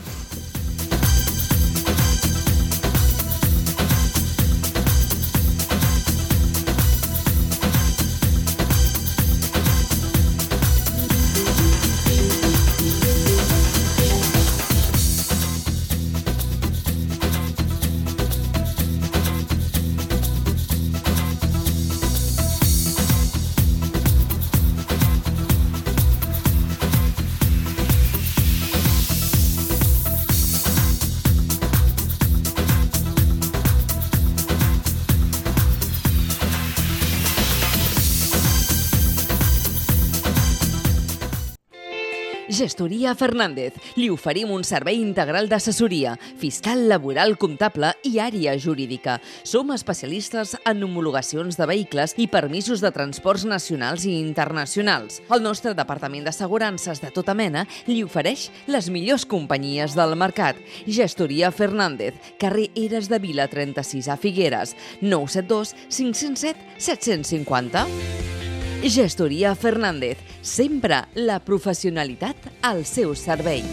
Gestoria Fernández. Li oferim un servei integral d'assessoria, fiscal, laboral, comptable i àrea jurídica. Som especialistes en homologacions de vehicles i permisos de transports nacionals i internacionals. El nostre departament d'assegurances de tota mena li ofereix les millors companyies del mercat. Gestoria Fernández, carrer Eres de Vila 36 a Figueres, 972 507 750. Gestoria Fernández, sempre la professionalitat al seu servei.